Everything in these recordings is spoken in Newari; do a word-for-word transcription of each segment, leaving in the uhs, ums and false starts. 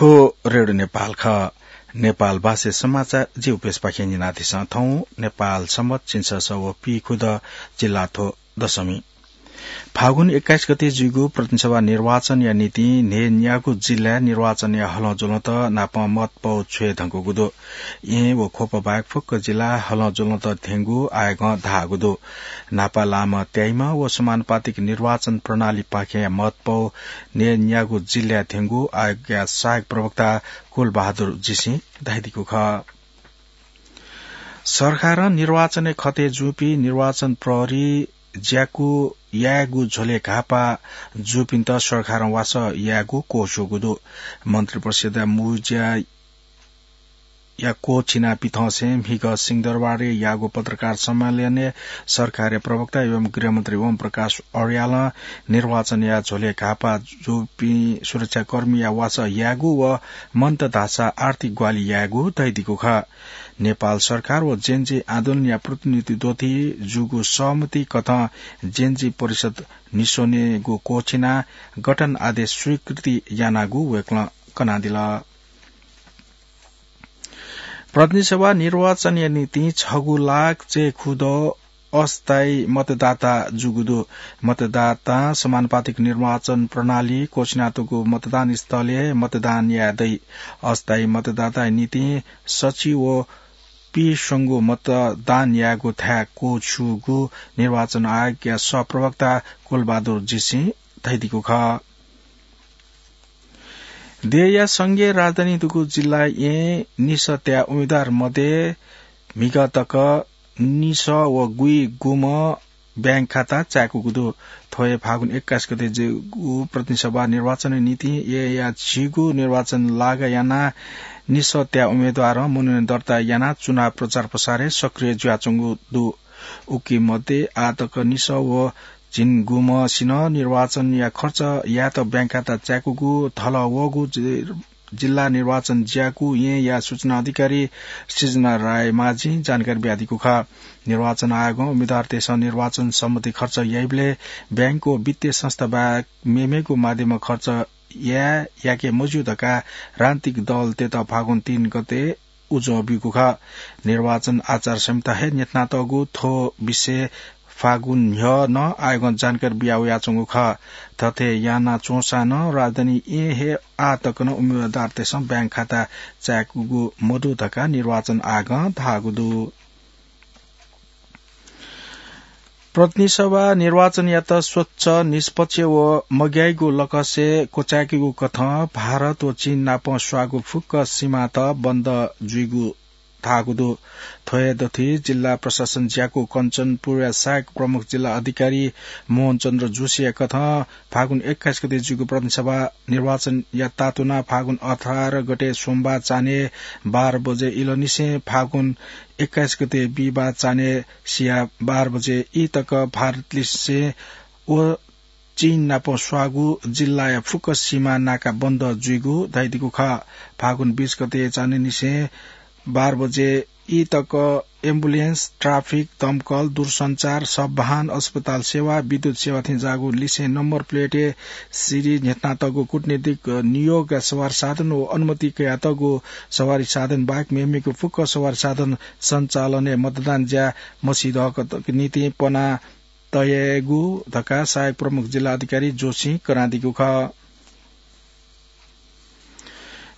थ्व रेडियो नेपाल खः। नेपाल भाषा समाचार जिगु पेजपाखें न्यनादिसँ। थौं नेपाल संवत झिंछसः व पीखुदँ, जिल्लाथ्व दशमी। फागुन एक्काइस गते जुइगु प्रतिनिधि सभा निर्वाचनया निंतिं न्हय्न्यागू जिल्लाय् निर्वाचनया हलंज्वलंत नापं मतपौ छ्वये धुंकूगु दु। येँ व ख्वप बाहेक फुक्क जिल्लाय् हलंज्वलंत थ्यंगु आयोगं धाःगु दु। न्हापा लामं त्याइम्ह व समानुपातिक निर्वाचन प्रणालीपाखें मतपौ न्हय्न्यागू जिल्लाय् थ्यंगु आयोगया सहायक प्रवक्ता कुलबहादुर जीसिं धयादीगु खः। सरकारं निर्वाचनय् खतय् जूपिं निर्वाचन प्रहरी ज्याकू यायेगु झ्वलय् घाःपाः जूपिन्त सरकारं वासः यायेगु क्वछूगु दु। मन्त्रिपरिषदया मू ज्याया क्वःछिना पिथंसें म्हिगः सिंहदरबारय् याःगु पत्रकार सम्मेलनय् सरकारया प्रवक्ता एवं गृहमन्त्री ओम प्रकाश अर्यालं निर्वाचनया झ्वलय् घाःपाः जूपिं सुरक्षाकर्मीया वासः यायेगु व मन्त धाःसा आर्थिक ग्वाहालि यायेगु धयादीगु खः। नेपाल सरकार व जेनजी आन्दोलनया प्रतिनिधित्वं जूगु सहमति कथं जेनजी परिषद निस्वनेगु क्वःछिना गठन आदेश स्वीकृति यानागु वय्कलं कनादिल। प्रतिनिधि सभा निर्वाचनया निंतिं छगू लाख चय्खुदँ अस्थायी मतदाता जूगु दु। मतदातां समानुपातिक निर्वाचन प्रणाली क्वःछिनातःगु मतदान स्थलय् मतदान याये दइ। अस्थायी मतदाताया निंतिं सच्छि व पीस्वंगू मतदान यायेगु थाय् क्वछूगु निर्वाचन आयोगया सहप्रवक्ता कुलबहादुर जीसिं धयादीगु खः। देय्‌या संघीय राजधानी दुगु जिल्लाय् येँ निसः त्याः उम्मेदवार मध्ये म्हिगः तक निसः व गुइगुम्ह ब्यांक खाता चाय्कूगु दु। थ्व हे फागुन एक्काइस गते जूगु प्रतिनिधि सभा निर्वाचनया निंतिं येँया झिगू निर्वाचन लागा यानाः निसः त्याः उम्मेदवारं मनोनयन दर्ता यानाः चुनाव प्रचार प्रसारय् सक्रिय जुयाच्वंगु दु। उकी मध्ये आः तक निसः व झिंगुम्हसिनं निर्वाचनया खर्च यायेत ब्यांक खाता चाय्कूगु धलः वःगु जि-, जिल्ला निर्वाचन ज्याकू येँया सूचना अधिकारी सृजना रायमाझीं जानकारी बियादीगु खः। निर्वाचन आयोगं उम्मेदवारतय्सं निर्वाचन सम्बन्धी खर्च याइबलय् ब्यांक व वित्तीय संस्था बाहेक मेमेगु माध्यमं खर्च याये याके मज्यू धकाः राजनीतिक दलतय्त फागुन तीन गते उजं ब्यूगु खः। निर्वाचन आचार संहिता हे न्ह्यथनातःगु थ्व विषय फागुन न्ह्यः नं आयोगं जानकारी बिया वयाच्वंगु खः। थथे याना च्वंसां नं राजधानी येँ हे आः तक नं उम्मेदवारतय्सं ब्यांक खाता चाय्कूगु मदु धकाः निर्वाचन आयोगं धाःगु दु। प्रतिनिधि सभा निर्वाचनयात स्वच्छ, निष्पक्ष व मग्याइगु लकसय् क्वचाय्केगु कथं भारत व चीन नाप स्वाःगु फुक्क सीमात बन्द जुइगु धाःगु दु। थ्व हे दथुइ जिल्ला प्रशासन ज्याकू कञ्चनपुरया सहायक प्रमुख जिल्ला अधिकारी मोहन चन्द्र जोशीया कथं फागुन एक्काइस गते जूगु प्रतिनिधि सभा निर्वाचनयात तातुनाः फागुन अठार गते सोमबार चान्हय् बाह्र बजे इलंनिसें फागुन एक्काइस गते बिहिबार चान्हय् सिया बाह्र बजे ई तक भारतलिसें व चीन नाप स्वाःगु जिल्लाया फुक्क सीमा नाका बन्द जुइगु धयादीगु खः। फागुन बीस गते चान्हय्निसें बाह्र बजे ई तक एम्बुलेन्स, ट्राफिक, दमकल, दूरसञ्चार, सब वाहन, अस्पताल सेवा, विद्युत सेवा थें ज्याःगु लिसें नम्बर प्लेटय् सिरि न्ह्यथनातःगु कूटनीतिक नियोगया सवारी साधन व अनुमति कयातःगु सवारी साधन बाहेक मेमेगु फुक्क सवारी साधन सञ्चालनय् मतदान ज्या मसिधःगु निंतिं पना तयेगु धकाः सहायक प्रमुख जिल्ला अधिकारी जोशीं कनादीगु खः।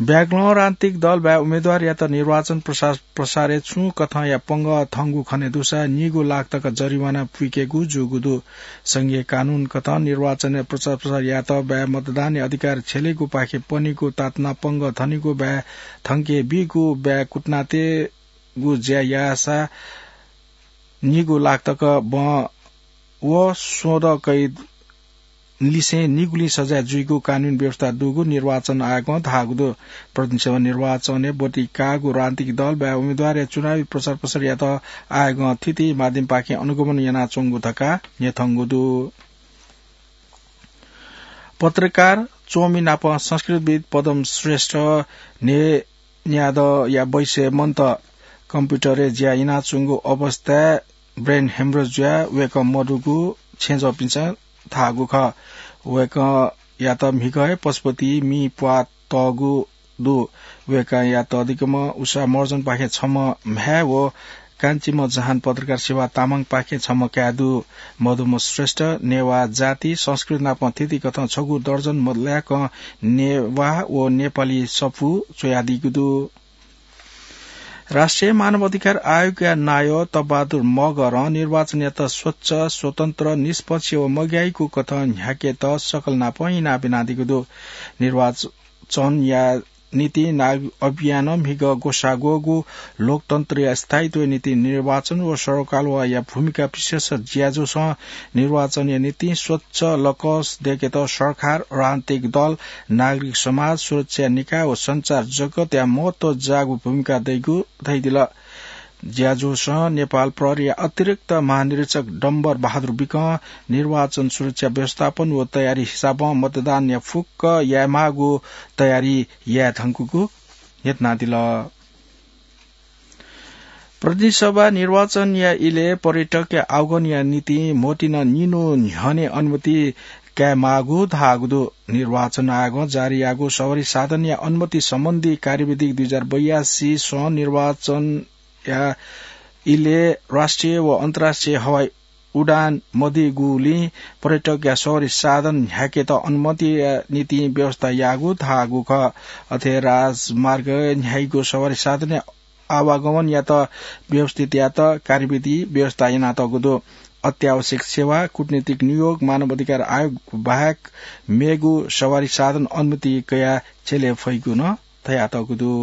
ब्यागलं राजनीतिक दल बाहेक उम्मेदवारयात निर्वाचन प्रसार, प्रसारय् छुं कथंया पंगः थंगु खने दुसा निगू लाख तक जरिवाना पुइकेगु जूगु दु। संघीय कानून कथं निर्वाचनय् प्रचार प्रसार यायेत बाहेक मतदानया अधिकार छ्यलेगु पाखे पनिगु तातुना पंगः थनिगु बाहेक थंके बीगु बाहेक कुटनाते गु ज्या याःसा निगू लाख तक बं व सोध कैद लिसें निगुलिं सजाय जुइगु कानूनी व्यवस्था दुगु निर्वाचन आयोगं धाःगु दु। प्रतिनिधि सभा निर्वाचनय् ब्वति काःगु राजनीतिक दल बाहेक उम्मेदवारया चुनावी प्रचार प्रसारयात आयोगं थीथी माध्यमपाखें अनुगमन यानाच्वंगु धकाः न्ह्यथंगु दु। पत्रकार च्वमि नाप संस्कृतिविद् पदम श्रेष्ठ न्हे न्यादँया बैसय् मन्त कम्प्युटरय् ज्या यानाच्वंगु अवस्थाय् brain hemorrhage जुयाः वय्कः मदुगु छेँजःपिन्सं धाःगु खः। वय्कःयात म्हिगः हे पशुपति मि प्वाः तःगु दु। वय्कःया तःधिकःम्ह उषा महर्जनपाखें छम्ह म्हाय् व काञ्चिम्ह जहान पत्रकार शिवा तामाङपाखें छम्ह काय् दु। मदुम्ह श्रेष्ठ नेवाः जाति, संस्कृति नाप थीथी कथं छगू दर्जन मदुलाय्कं नेवाः व नेपाली सफू च्वयादीगु दु। राष्ट्रिय मानव अधिकार आयोगया नायः तपबहादुर मगरं निर्वाचनयात स्वच्छ, स्वतन्त्र, निष्पक्ष व मग्याइगु कथं न्ह्याकेत सकल नाप इनाप यानादीगु दु। निर्वाचनया निंतिं नागरिक अभियानं म्हिगः ग्वसाः ग्वःगु लोकतन्त्रया स्थायित्वया निंतिं निर्वाचन व सरकारवाहया भूमिका विशेष ज्याझ्वलय् निर्वाचनया निंतिं स्वच्छ लकस दय्केत सरकार, राजनीतिक दल, नागरिक समाज, सुरक्षा निकाय व सञ्चार जगतया महत्व जाःगु भूमिका दइगु धयादिल। ज्याझ्वलय् नेपाल प्रहरीया अतिरिक्त महानिरीक्षक डम्बर बहादुर विकं निर्वाचन सुरक्षा व्यवस्थापन व तयारी हिसाबं मतदानया फुक्क यायेमाःगु तयारी याये धुंकूगु न्ह्यथनादिल। प्रतिनिधि सभा निर्वाचनया इलय् पर्यटकया आवागमनया निंतिं म्होतिं निन्हु न्ह्यःने अनुमति कायेमाःगु धाःगु दु। निर्वाचन आयोगं जारी याःगु सवारी साधनया अनुमति सम्बन्धी कार्यविधि दुई हजार बयासी सं निर्वाचनया इलय् राष्ट्रिय व अन्तर्राष्ट्रिय हवाई उडान मदइगुलिं पर्यटकया सवारी साधन न्ह्याकेत अनुमतिया निंतिं व्यवस्था याःगु धाःगु खः। अथे राजमार्ग न्ह्याइगु सवारी साधनया आवागमनयात व्यवस्थित यायेत कार्यविधि व्यवस्था यानातःगु दु। अत्यावश्यक सेवा, कूटनीतिक नियोग, मानव अधिकार आयोग बाहेक मेगु सवारी साधन अनुमति कयाः छ्यले फइगु नं धयातःगु दु।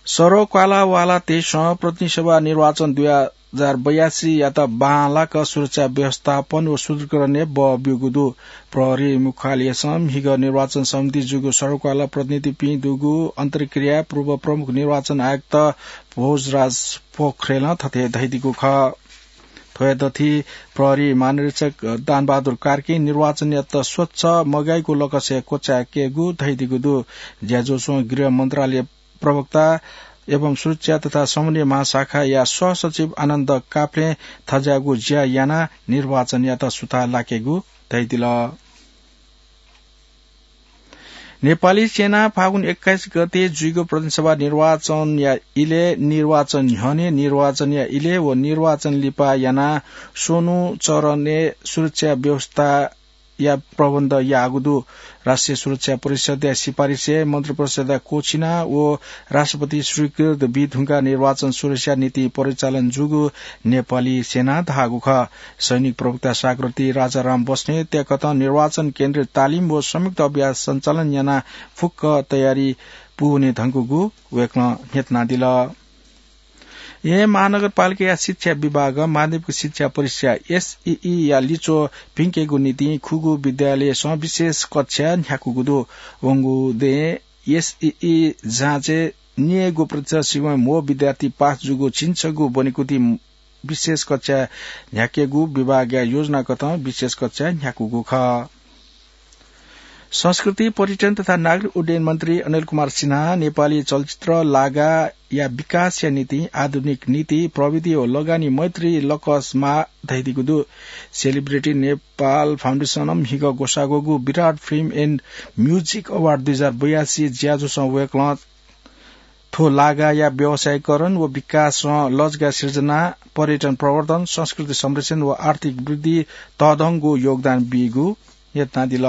सरक्वालावालातय्सं प्रतिनिधि सभा निर्वाचन दुई हजार बयासीयात बांलाक सुरक्षा व्यवस्थापन व सुदृढीकरणय् बः ब्यूगु दु। प्रहरी मुख्यालयसं म्हिगः निर्वाचन समिति जूगु सरक्वाला प्रतिनिधिपिं दुगु अन्तर्क्रियाय् पूर्व प्रमुख निर्वाचन आयुक्त भोजराज पोखरेलं थथे धयादीगु खः। थ्व हे दथुइ प्रहरी महानिरीक्षक दानबहादुर कार्कीं निर्वाचनयात स्वच्छ मग्याइगु लकसय् क्वचाय्केगु धयादीगु दु। ज्याझ्वलय् गृह मन्त्रालय प्रवक्ता एवं सुरक्षा तथा समन्वय महाशाखाया सहसचिव आनन्द काफ्लें थज्याःगु ज्या यानाः निर्वाचनयात सुथां लाकेगु धयादिल। नेपाली सेनां फागुन एक्काइस गते जुइगु प्रतिनिधि सभा निर्वाचनया इलय्, निर्वाचन न्ह्यःने, निर्वाचनया इलय् व निर्वाचन लिपा यानाः स्वन्हु चरणय् सुरक्षा व्यवस्थाया प्रबन्ध याःगु दु। राष्ट्रिय सुरक्षा परिषदया सिफारिसय् मन्त्रिपरिषदया क्वःछिना व राष्ट्रपति स्वीकृत बीधुंकाः निर्वाचन सुरक्षाया निंतिं परिचालन जूगु नेपाली सेनां धाःगु खः। सैनिक प्रवक्ता सागररत्न राजाराम बस्नेतय्कथं निर्वाचन केन्द्रय् तालिम व संयुक्त अभ्यास सञ्चालन यानाः फुक्क तयारी पूवने धुंकूगु वय्कलं न्ह्यथनादिल। येँ महानगरपालिकाया शिक्षा विभागं माध्यमिक शिक्षा परीक्षा एसईई या लिच्वः भिंकेगु निंतिं खुगू विद्यालयसं विशेष कक्षा न्ह्याकूगु दु। वंगु दँय् एसईई जाँचय् निय्गू प्रतिशत सिबें म्हो विद्यार्थी पास जूगु झिंछगू ब्वनेकुथि विशेष कक्षा न्ह्याकेगु विभागया योजनाकथं विशेष कक्षा न्ह्याकूगु खः। संस्कृति, पर्यटन तथा नागरिक उड्डयन मन्त्री अनिल कुमार सिन्हां नेपाली चलचित्र लागाया विकासया निंतिं आधुनिक नीति, प्रविधि व लगानी मैत्री लकस माः धयादीगु दु। सेलिब्रिटी नेपाल फाउन्डेसनं म्हिगः ग्वसाः ग्वःगु Virat film end music award दुई हजार बयासी ज्याझ्वलय् वय्कलं थ्व लागाया व्यावसायीकरण व विकासं लजगाः सिर्जना, पर्यटन प्रवर्धन, संस्कृति संरक्षण व आर्थिक वृद्धि तःधंगु योगदान बीगु न्ह्यथनादिल।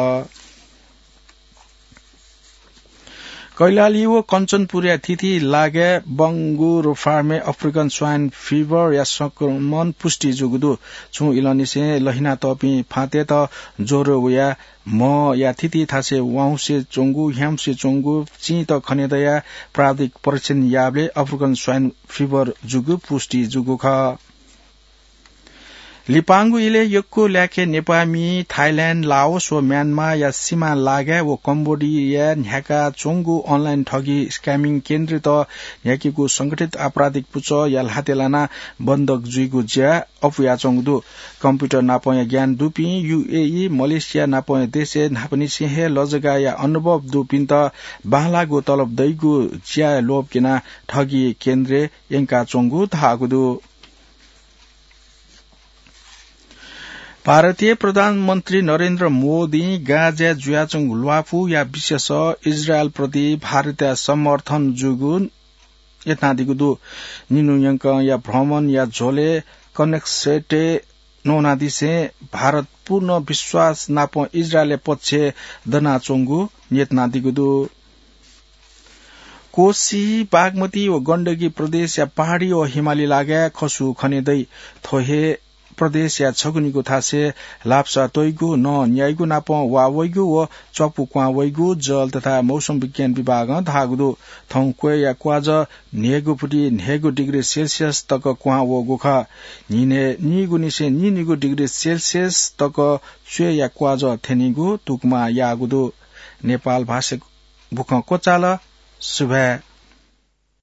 कैलाली व कञ्चनपुरया थीथी लागाय् बंगुर फार्मय् अफ्रिकन स्वाइन फिभरया संक्रमण पुष्टि जूगु दु। छुं इलंनिसें लहिनातःपिं फाँतय्त ज्वरो वयाः म्हया थीथी थासय् वाउँसे च्वंगु, ह्याउँसे च्वंगु, चिंत खने दयाः प्राविधिक परीक्षण याःबलय् अफ्रिकन स्वाइन फिभर जूगु पुष्टि जूगु खः। लिपांगु इलय् यक्व ल्याखय् नेपाःमि थाइल्याण्ड, लाओस व म्यानमारया सिमा लागाय् व कम्बोडियाय् न्ह्याका च्वंगु अनलाइन ठगी स्क्यामिङ केन्द्रयात न्ह्याकीगु संगठित आपराधिक पुचःया ल्हातय् लानाः बन्धक जुइगु ज्या अप्वयाच्वंगु दु। कम्प्युटर नापंया ज्ञान दुपिं, यूएई, मलेसिया नापंया देशय् न्हापांनिसें हे लजगाःया अनुभव दुपिन्त बांलाःगु तलब दइगु ज्याय् लोभ क्यनाः ठगी केन्द्रय् यंकाच्वंगु धाःगु दु। भारतीय प्रधानमन्त्री नरेन्द्र मोदीं गाजाय् जुयाच्वंगु ल्वापुया विषयस इजरायलप्रति भारतया समर्थन जूगु यत्नादीगु दु। निन्हु यंकंया भ्रमणया झ्वलय् कनेक्सेटय् नवानादिसें भारत पूर्ण विश्वास नाप इजरायलया पक्षय् दनाच्वंगु यत्नादीगु दु। कोशी, बागमती व गण्डकी प्रदेशया पहाडी व हिमाली लागाय् खसु खने दइ। थ्व हे प्रदेशया छगू निगू थासय् लापसा त्वइगु, नं न्याइगु नाप वा वइगु व च्वापु क्वां वइगु जल तथा मौसम विज्ञान विभागं धाःगु दु। थौं क्वय्‌या क्वाजः न्हय्‌गु फुति न्हय्‌गु डिग्री सेल्सियस तक क्वां वःगु खः। न्हिनय् नीगुनिसें नीनिगू डिग्री सेल्सियस तक च्वय्‌या क्वाजः थ्यनीगु तुकमा याःगु दु। नेपाल भाषा बुखँ क्वचाल। सुभाय्।